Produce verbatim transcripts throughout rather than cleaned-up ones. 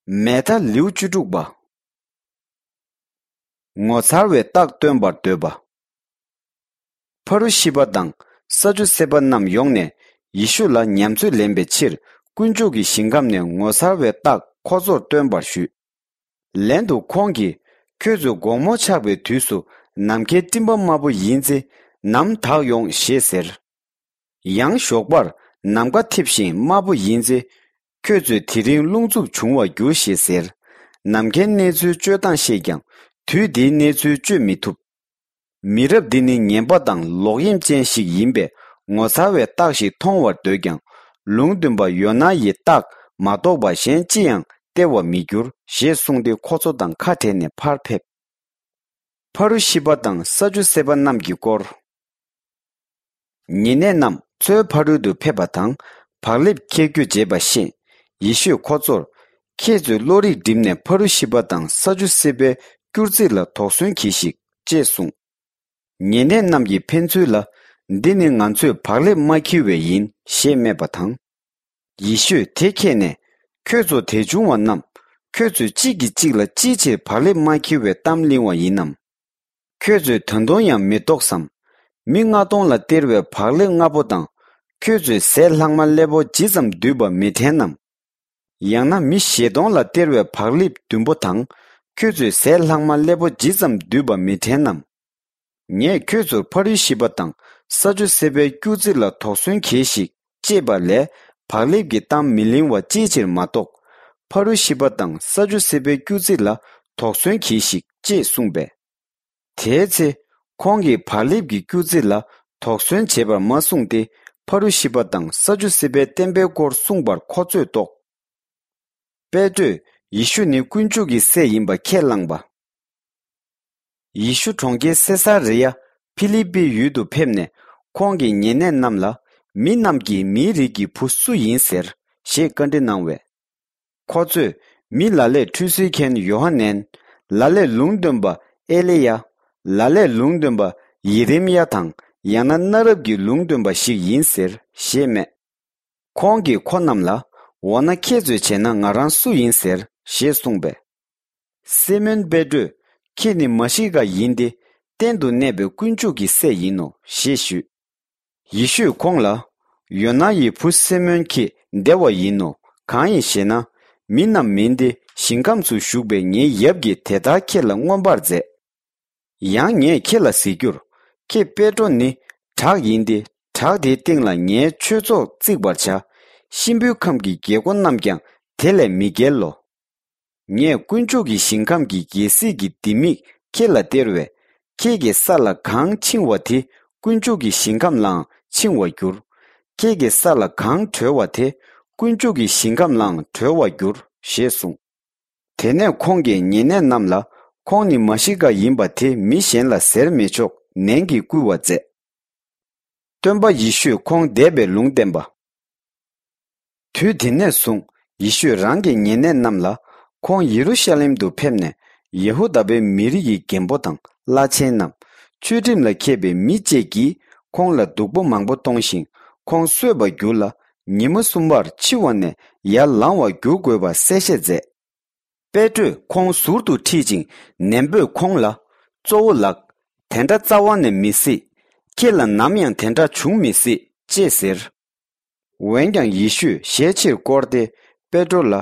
མེ་ཐ་ལེའུ་བཅུ་དྲུག་པ། ངོ་མཚར་བའི་རྟགས་སྟོན་པར་འདོད་པ། ཕ་རུ་ཤི་པ་དང་ས་ཅུ་སེ་པ་རྣམས་ཡོང་ནས་ཡེ་ཤུ་ལ་ཉམས་ཚོད་ལེན་པའི་ཕྱིར། དཀོན་མཆོག་གི་ཞིང་ཁམས་ནས་ངོ་མཚར་བའི་རྟགས་ཁོ་ཚོར་སྟོན་པར་ཞུས། ལན་དུ་ཁོང་གིས། ཁྱོད་ཚོས་དགོང་མོ་ཆགས་པའི་དུས་སུ་ནམ་མཁའི་སྤྲིན་པ་དམར་པོ་ཡིན་ཚེ། ནམ་དག་ཡོང་ཞེས་ཟེར། ཡང་ཞོགས་པར་ནམ་མཁའ་འཐིབས་ཤིང་དམར་པོ་ཡིན་ཚེ། ཁྱོད་ཚོས་དེ་རིང་རླུང་འཚུབ་འབྱུང་བར་འགྱུར་ཞེས་ཟེར། ནམ་མཁའི་གནས་ཚུལ་དཔྱོད་སྟངས་ཤེས་ཀྱང་། དུས་འདིའི་གནས་ཚུལ་དཔྱོད་མི་ཐུབ། མི་རབས་འདི་ནི་ངན་པ་དང་ལོག་གཡེམ་ཅན་ཞིག་ཡིན་པས། ངོ་མཚར་བའི་རྟགས་ཤིག་མཐོང་བར་འདོད་ཀྱང་། ལུང་སྟོན་པ་ཡོ་ན་ཡི་རྟགས་མ་གཏོགས་པ་གཞན་ཅི་ཡང་སྟེར་བར་མི་འགྱུར་ཞེས་གསུངས་ཏེ། ཁོ་ཚོ་དང་ཁ་བྲལ་ནས་ཕར་ཕེབས། ཕ་རུ་ཤི་པ་དང་ས་ཅུ་སེ་པ་རྣམས་ཀྱི་སྐོར། ཉེ་གནས་རྣམས་མཚོའི་ཕ་རོལ་ཏུ་ཕེབས་པ་དང་། བག་ལེབ་འཁྱེར་རྒྱུ་བརྗེད་པ་ཤེས། ཡེ་ཤུས་ཁོ་ཚོར། ཁྱེད་ཚོས་བློ་རིག་བསྒྲིམས་ནས་ཕ་རུ་ཤི་པ་དང་ས་ཅུ་སེ་པའི་སྐྱུར་རྩི་ལ་དོགས་ཟོན་གྱིས་ཤིག་ཅེས་གསུངས། ཉེ་གནས་རྣམས་ཀྱིས་ཕན་ཚུན་ལ། འདི་ནི་ང་ཚོས་བག་ལེབ་མ་འཁྱེར་བས་ཡིན་ཞེས་སྨྲས་པ་དང་། ཡེ་ཤུས་དེ་མཁྱེན་ནས། ཁྱོད་ཚོ་དད་ཆུང་བ་རྣམས། ཁྱོད་ཚོས་གཅིག་གིས་གཅིག་ལ་ཅིའི་ཕྱིར་བག་ལེབ་མ་འཁྱེར་བའི་གཏམ་གླེང་བ་ཡིན་ནམ། ཁྱོད་ཚོས་ད་དུང་ཡང་མི་རྟོགས་སམ། མི་ལྔ་སྟོང་ལ་སྟེར་བའི་བག་ལེབ་ལྔ་པོ་དང་། ཁྱོད་ཚོས་ཟས་ལྷག་མ་སླེ་པོ་ཇི་ཙམ་བསྡུས་པ་མི་དྲན་ནམ། ཡང་ན་མི་བཞི་སྟོང་ལ་སྟེར་བའི་བག་ལེབ་བདུན་པོ་དང་། ཁྱོད་ཚོས་ཟས་ལྷག་མ་སླེ་པོ་ཇི་ཙམ་བསྡུས་པ་མི་དྲན་ནམ། ངས་ཁྱོད་ཚོར་ཕ་རུ་ཤི་པ་དང་ས་ཅུ་སེ་པའི་སྐྱུར་རྩི་ལ་དོགས་ཟོན་གྱིས་ཤིག་ཅེས་པ་ལས། བག་ལེབ་ཀྱི་གཏམ་མི་གླེང་བ་ཅིའི་ཕྱིར་མ་རྟོགས། ཕ་རུ་ཤི་པ་དང་ས་ཅུ་སེ་པའི་སྐྱུར་རྩི་ལ་དོགས་ཟོན་གྱིས་ཤིག་ཅེས་གསུངས་པས། དེའི་ཚེ། ཁོང་གིས་བག་ལེབ་ཀྱི་སྐྱུར་རྩི་ལ་དོགས་ཟོན་བྱེད་པར་མ་གསུངས་ཏེ། ཕ་རུ་ཤི་པ་དང་ས་ཅུ་སེ་པའི་བསྟན་པའི་སྐོར་གསུངས་པར་ཁོ་ཚོས་རྟོགས། པེ་ཏྲོས། ཡེ་ཤུ་ནི་དཀོན་མཆོག་གི་སྲས་ཡིན་པ་ཁས་བླངས་པ། ཡེ་ཤུ་གྲོང་ཁྱེར་སེ་ས་རི་ཡ་ཕི་ལི་པི་ཡུལ་དུ་ཕེབས་ནས། ཁོང་གིས་ཉེ་གནས་རྣམས་ལ། མི་རྣམས་ཀྱིས་མིའི་རིགས་ཀྱི་བུ་སུ་ཡིན་ཟེར་ཞེས་བཀའ་འདྲི་གནང་བས། ཁོ་ཚོས། མི་ལ་ལས་ཁྲུས་གསོལ་མཁན་ཡོ་ཧ་ནན། ལ་ལས་ལུང་སྟོན་པ་ཨེ་ལི་ཡ། ལ་ལས་ལུང་སྟོན་པ་ཡེ་རེམ་ཡ་དང་། ཡང་ན་གནའ་རབས་ཀྱི་ལུང་སྟོན་པ་ཞིག་ཡིན་ཟེར་ཞེས་སྨྲས། ཁོང་གིས་ཁོ་རྣམས་ལ། འོ་ན་ཁྱེད་ཚོས་བྱས་ན་ང་རང་སུ་ཡིན་ཟེར་ཞེས་གསུངས་པས། སི་མོན་པེ་ཏྲོས། ཁྱེད་ནི་མ་ཤི་ཀ་ཡིན་ཏེ། གཏན་དུ་གནས་པའི་དཀོན་མཆོག་གི་སྲས་ཡིན་ནོ་ཞེས་ཞུས། ཡེ་ཤུས་ཁོང་ལ། ཡོ་ན་ཡི་བུ་སི་མོན་ཁྱེད་བདེ་བ་ཡིན་ནོ། གང་ཡིན་ཞེ་ན། མི་རྣམས་མིན་ཏེ། ཞིང་ཁམས་སུ་བཞུགས་པའི་ངའི་ཡབ་ཀྱིས་དེ་ལྟར་ཁྱེད་ལ་མངོན་པར་མཛད། ཡང་ངས་ཁྱེད་ལ་ཟེར་རྒྱུར། ཁྱེད་པེ་ཏྲོ་ནི་བྲག་ཡིན་ཏེ། བྲག་དེའི་སྟེང་ལ་ངའི་ཆོས་ཚོགས་བརྩིག་པར་བྱ། གཤིན་པོའི་ཁམས་ཀྱི་རྒྱལ་སྒོ་རྣམས་ཀྱང་དེ་ལས་མི་བརྒལ་ལོ། ངས་དཀོན་མཆོག་གི་ཞིང་ཁམས་ཀྱི་རྒྱལ་སྲིད་ཀྱི་ལྡེ་མིག་ཁྱེད་ལ་སྟེར་བས། ཁྱེད་ཀྱི་ས་ལ་གང་འཆིང་བ་དེ་དཀོན་མཆོག་གི་ཞིང་ཁམས་ལའང་འཆིང་བར་འགྱུར། ཁྱེད་ཀྱི་ས་ལ་གང་གྲོལ་བ་དེ་དཀོན་མཆོག་གི་ཞིང་ཁམས་ལའང་གྲོལ་བར་འགྱུར་ཞེས་གསུངས། དེ་ནས་ཁོང་གིས་ཉེ་གནས་རྣམས་ལ། ཁོང་ནི་མ་ཤི་ཀ་ཡིན་པ་དེ་མི་གཞན་ལ་ཟེར་མི་ཆོག་ནན་གྱིས་བསྐུལ་བ་མཛད། སྟོན་པ་ཡེ་ཤུས་ཁོང་འདས་པའི་ལུང་བསྟན་པ། དུས་དེ་ནས་བཟུང་ཡེ་ཤུས་རང་གི་ཉེ་གནས་རྣམས་ལ། ཁོང་ཡེ་རུ་ཤ་ལེམ་དུ་ཕེབས་ནས། ཡེ་ཧུ་དཱ་པའི་མི་རིགས་ཀྱི་རྒན་པོ་དང་བླ་ཆེན་རྣམས། ཆོས་ཁྲིམས་ལ་མཁས་པའི་མི་བཅས་ཀྱིས་ཁོང་ལ་སྡུག་པོ་མང་པོ་གཏོང་ཞིང་། ཁོང་གསོད་པར་འགྱུར་ལ། ཉི་མ་གསུམ་པར་འཆི་བ་ནས་ཡར་ལང་བར་འགྱུར་དགོས་པ་གསལ་བཤད་མཛད། པེ་ཏྲོས་ཁོང་ཟུར་དུ་ཁྲིད་ཅིང་ནན་པོས་ཁོང་ལ། གཙོ་བོ་ལགས། དེ་འདྲ་རྩ་བ་ནས་མི་སྲིད། ཁྱེད་ལ་ནམ་ཡང་དེ་འདྲ་འབྱུང་མི་སྲིད་ཅེས་ཟེར། འོན་ཀྱང་ཡེ་ཤུས་ཞལ་ཕྱིར་བསྐོར་ཏེ་པེ་ཏྲོ་ལ།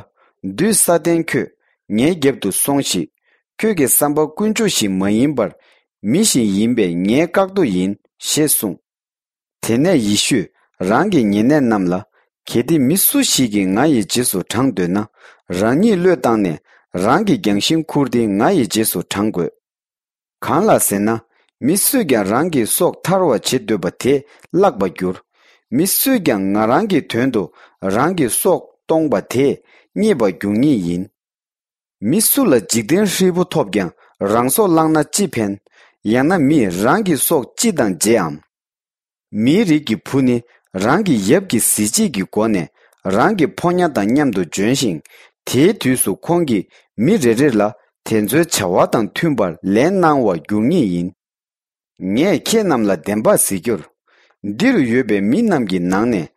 བདུད་ས་ཏན་ཁྱོད། ངའི་རྒྱབ་ཏུ་སོང་ཞིག་ཁྱོད་ཀྱི་བསམ་པ་དཀོན་མཆོག་བཞིན་མ་ཡིན་པར། མི་བཞིན་ཡིན་པས་ངའི་བཀག་རྡོ་ཡིན་ཞེས་གསུངས། དེ་ནས་ཡེ་ཤུས་རང་གི་ཉེ་གནས་རྣམས་ལ། གལ་ཏེ་མི་སུ་ཞིག་གིས་ང་ཡི་རྗེས་སུ་འབྲང་འདོད་ན། རང་ཉིད་བློས་བཏང་ནས་རང་གི་རྒྱང་ཤིང་ཁུར་ཏེ་ང་ཡི་རྗེས་སུ་འབྲང་དགོས། གང་ལགས་ཟེར་ན། མི་སུས་ཀྱང་རང་གི་སྲོག་ཐར་བར་བྱེད་འདོད་པ་དེ་བརླག་པར་འགྱུར། མི་སུས་ཀྱང་ང་རང་གི་དོན་དུ་རང་གི་སྲོག་གཏོང་བ་དེ་རྙེད་པར་འགྱུར་ངེས་ཡིན། མི་སུ་ལ་འཇིག་རྟེན་ཧྲིལ་པོ་ཐོབ་ཀྱང་རང་སྲོག་བླངས་ན་ཅི་ཕན། ཡང་ན་མིས་རང་གི་སྲོག་ཅི་དང་བརྗེའམ། མིའི་རིགས་ཀྱི་བུ་ནི་རང་གི་ཡབ་ཀྱི་གཟི་བརྗིད་ཀྱི་སྒོ་ནས་རང་གི་ཕོ་ཉ་དང་མཉམ་དུ་འབྱོན་ཞིང་། དེའི་དུས་སུ་ཁོང་གིས་མི་རེ་རེ་ལ་དེ་ཚོའི་བྱ་བ་དང་མཐུན་པར་ལན་གནང་བར་འགྱུར་ངེས་ཡིན། ངས་ཁྱེད་རྣམས་ལ་བདེན་པར་ཟེར་རྒྱུར། འདི་རུ་ཡོད་པའི་མི་རྣམས་ཀྱི་ནང་ནས་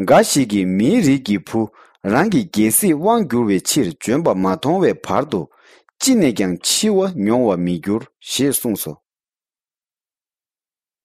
འགའ་ཞིག་གིས་མིའི་རིགས་ཀྱི་བུ་ རང་གི་རྒྱལ་སྲིད་དབང་བསྒྱུར་བའི་ཕྱིར་འབྱོན་པ་མ་མཐོང་བའི་བར་དུ་ཅི་ནས་ཀྱང་འཆི་བ་མྱོང་བར་མི་འགྱུར་ཞེས་གསུངས་སོ།